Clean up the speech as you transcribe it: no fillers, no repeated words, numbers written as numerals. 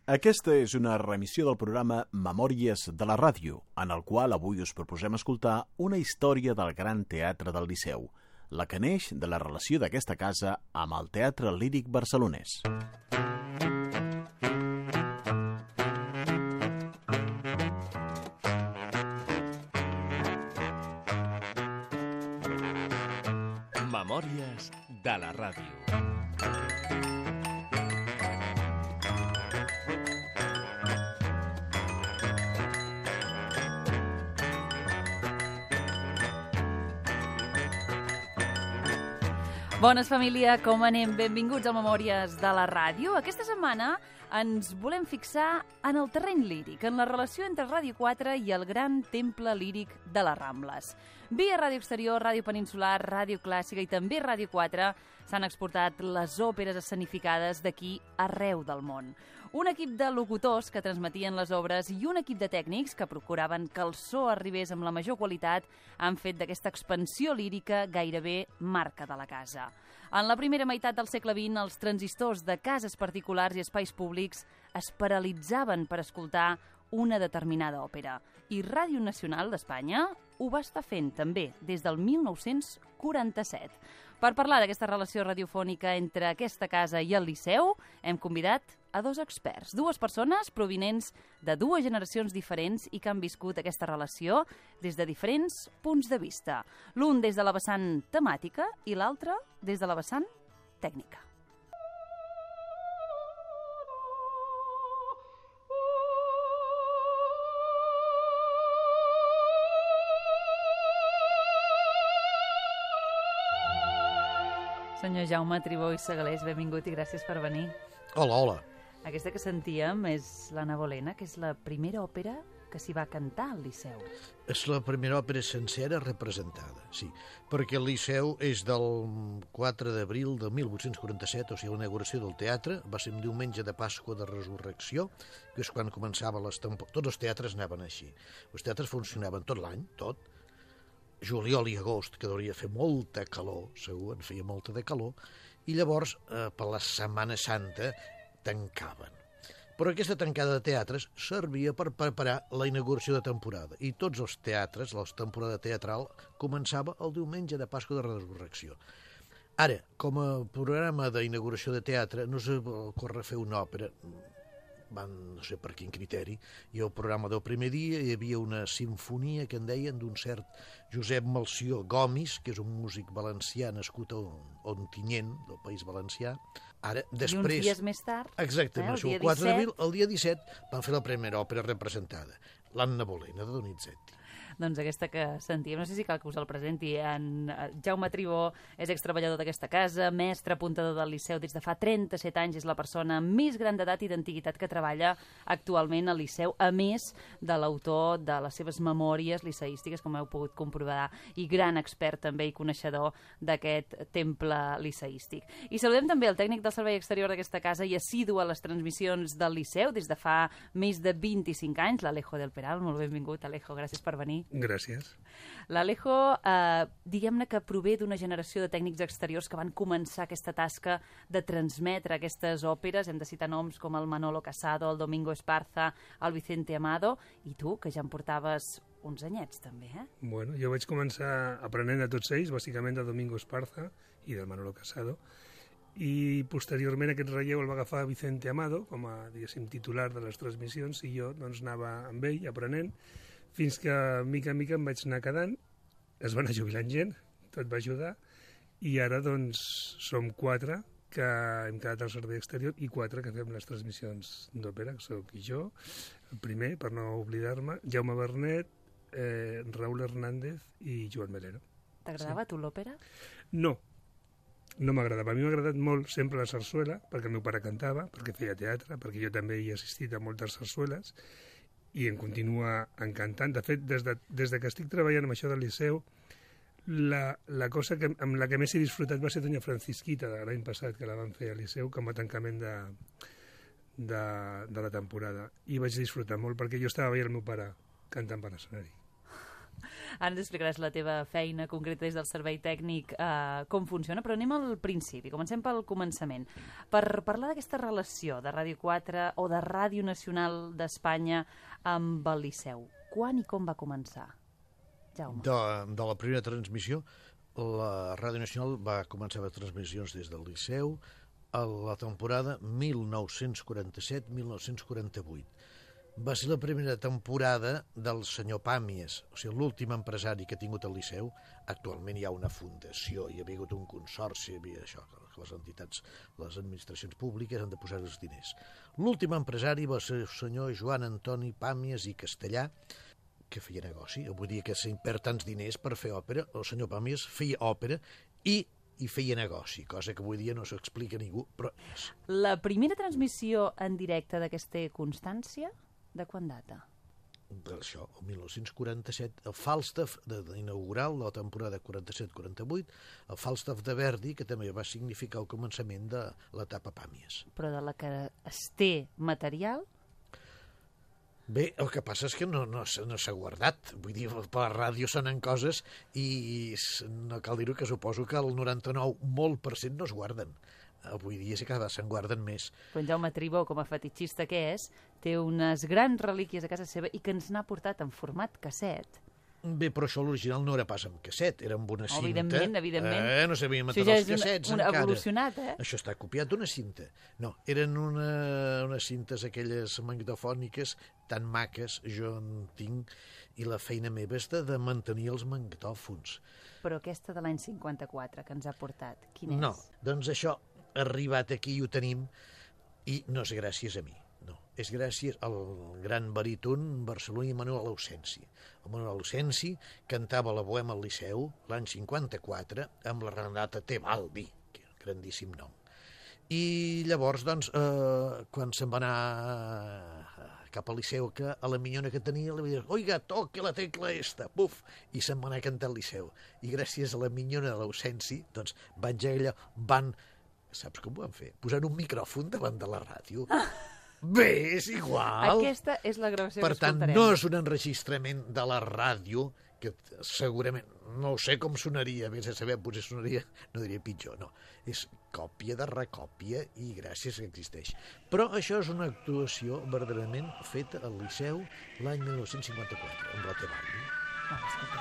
Aquesta és una remissió del programa Memòries de la Ràdio, en el qual avui us proposem escoltar una història del Gran Teatre del Liceu, la que neix de la relació d'aquesta casa amb el Teatre Líric barcelonès. Memòries de la Ràdio. Bones, família, com anem? Benvinguts a Memòries de la Ràdio. Aquesta setmana ens volem fixar en el terreny líric, en la relació entre Ràdio 4 i el gran temple líric de les Rambles. Via Ràdio Exterior, Ràdio Peninsular, Ràdio Clàssica i també Ràdio 4 s'han exportat les òperes escenificades d'aquí arreu del món. Un equip de locutors que transmetien les obres i un equip de tècnics que procuraven que el so arribés amb la major qualitat han fet d'aquesta expansió lírica gairebé marca de la casa. En la primera meitat del segle XX, els transistors de cases particulars i espais públics es paralitzaven per escoltar una determinada òpera. I Ràdio Nacional d'Espanya ho va estar fent també des del 1947. Per parlar d'aquesta relació radiofònica entre aquesta casa i el Liceu, hem convidat a dos experts, dues persones provinents de dues generacions diferents i que han viscut aquesta relació des de diferents punts de vista. L'un des de la vessant temàtica i l'altre des de la vessant tècnica. Senyor Jaume Tribó i Segalés, benvingut i gràcies per venir. Hola, hola. Aquesta que sentíem és l'Anna Bolena, que és la primera òpera que s'hi va cantar al Liceu. És la primera òpera sencera representada, sí, perquè el Liceu és del 4 d'abril de 1847, o sigui, la inauguració del teatre, va ser un diumenge de Pasqua de Resurrecció, que és quan començava tots els teatres anaven així. Els teatres funcionaven tot l'any, tot, juliol i agost, que hauria de fer molta calor, segur, en feia molta de calor, i llavors, per la Setmana Santa, tancaven. Però aquesta tancada de teatres servia per preparar la inauguració de temporada, i tots els teatres, la temporada teatral, començava el diumenge de Pasqua de Resurrecció. Ara, com a programa d'inauguració de teatre, no s'ocorre fer una òpera, no sé per quin criteri, i al programa del primer dia hi havia una sinfonia que en deien d'un cert Josep Melcior Gomis, que és un músic valencià nascut a Ontinyent, del País Valencià. Ara, després, i uns dies més tard, exactament, el 4 d'abril, el dia 17, van fer la primera òpera representada, l'Anna Bolena, de Donizetti. Doncs aquesta que sentíem, no sé si cal que us el presenti, en Jaume Tribó és extreballador d'aquesta casa, mestre apuntador del Liceu des de fa 37 anys, és la persona més gran d'edat i d'antiguitat que treballa actualment al Liceu, a més de l'autor de les seves memòries liceístiques, com heu pogut comprovar, i gran expert també i coneixedor d'aquest temple liceístic. I saludem també el tècnic del servei exterior d'aquesta casa i assidu a les transmissions del Liceu des de fa més de 25 anys, l'Alejo del Peral. Molt benvingut, Alejo, gràcies per venir. Gràcies. L'Alejo, diguem-ne que prové d'una generació de tècnics exteriors que van començar aquesta tasca de transmetre aquestes òperes. Hem de citar noms com el Manolo Casado, el Domingo Esparza, el Vicente Amado, i tu, que ja em portaves uns anyets, també, eh? Bueno, jo vaig començar aprenent de tots ells, bàsicament de Domingo Esparza i del Manolo Casado, i posteriorment aquest relleu el va agafar Vicente Amado com a, diguéssim, titular de les transmissions, i jo doncs anava amb ell aprenent, fins que, mica en mica, em vaig anar quedant, es va anar jubilant gent, tot va ajudar, i ara, doncs, som 4 que hem quedat al servei exterior i 4 que fem les transmissions d'òpera, que soc jo, el primer, per no oblidar-me, Jaume Bernet, Raúl Hernández i Joan Melero. T'agradava a tu l'òpera? No m'agradava. A mi m'ha agradat molt sempre la sarsuela, perquè el meu pare cantava, perquè feia teatre, perquè jo també hi he assistit a moltes sarsueles, i em continua encantant. De fet, des de que estic treballant amb això del Liceu, la cosa amb la que més he disfrutat va ser Doña Francisquita, de l'any passat, que la van fer al Liceu com a tancament de la temporada. I vaig disfrutar molt, perquè jo estava veient el meu pare cantant per l'escenari. Ara ens explicaràs la teva feina concreta des del servei tècnic, com funciona, però anem al principi, comencem pel començament. Per parlar d'aquesta relació de Ràdio 4 o de Ràdio Nacional d'Espanya amb el Liceu, quan i com va començar? Jaume. De la primera transmissió, la Ràdio Nacional va començar les transmissions des del Liceu a la temporada 1947-1948. Va ser la primera temporada del senyor Pàmies, o sigui, l'últim empresari que ha tingut el Liceu. Actualment hi ha una fundació, hi ha hagut un consorci, hi havia això, que les entitats, les administracions públiques han de posar els diners. L'últim empresari va ser el senyor Joan Antoni Pàmies i Castellà, que feia negoci. Vull dir que se'n perd tants diners per fer òpera. El senyor Pàmies feia òpera i feia negoci, cosa que avui dia no s'explica a ningú, però és. La primera transmissió en directe d'aquesta Constància, de quan data? D'això, el 1947, el Falstaff inaugural de la temporada 47-48, el Falstaff de Verdi, que també va significar el començament de l'etapa Pàmies. Però de la que es té material? Bé, el que passa és que no s'ha guardat. Vull dir, per la ràdio sonen coses i no cal dir-ho, que suposo que el 99% no es guarden. Avui dia sí que se'n guarden més. Però en Jaume Tribó, com a fetitxista que és, té unes grans relíquies a casa seva i que ens n'ha portat en format casset. Bé, però això l'original no era pas amb casset, era amb una cinta. Evidentment. No sabíem això matar ja els cassets és encara. evolucionat, Això està copiat d'una cinta. No, eren unes cintes aquelles magnetofòniques tan maques, jo en tinc, i la feina meva és de mantenir els magnetòfons. Però aquesta de l'any 54 que ens ha portat, quina és? No, doncs això ha arribat aquí i ho tenim, i no és gràcies a mi. No, és gràcies al gran baríton barceloní Manuel Ausensi. El Manuel Ausensi cantava la Bohema al Liceu l'any 54 amb la Renata Tebaldi, que és un grandíssim nom. I llavors, doncs, quan se'n va anar cap al Liceu, que a la minyona que tenia li va dir: «Oiga, toque la tecla esta», buf, i se'n va anar a cantar al Liceu. I gràcies a la minyona de l'Ausensi, doncs, saps com ho van fer? Posant un micròfon davant de la ràdio. Bé, és igual. Aquesta és la gravació que escoltarem. Per tant, no és un enregistrament de la ràdio, que segurament, no sé com sonaria, vés a saber, potser sonaria, no diria pitjor, no. És còpia de recòpia i gràcies que existeix. Però això és una actuació verdaderament feta al Liceu l'any 1954, amb la Tebaldi. Escolta.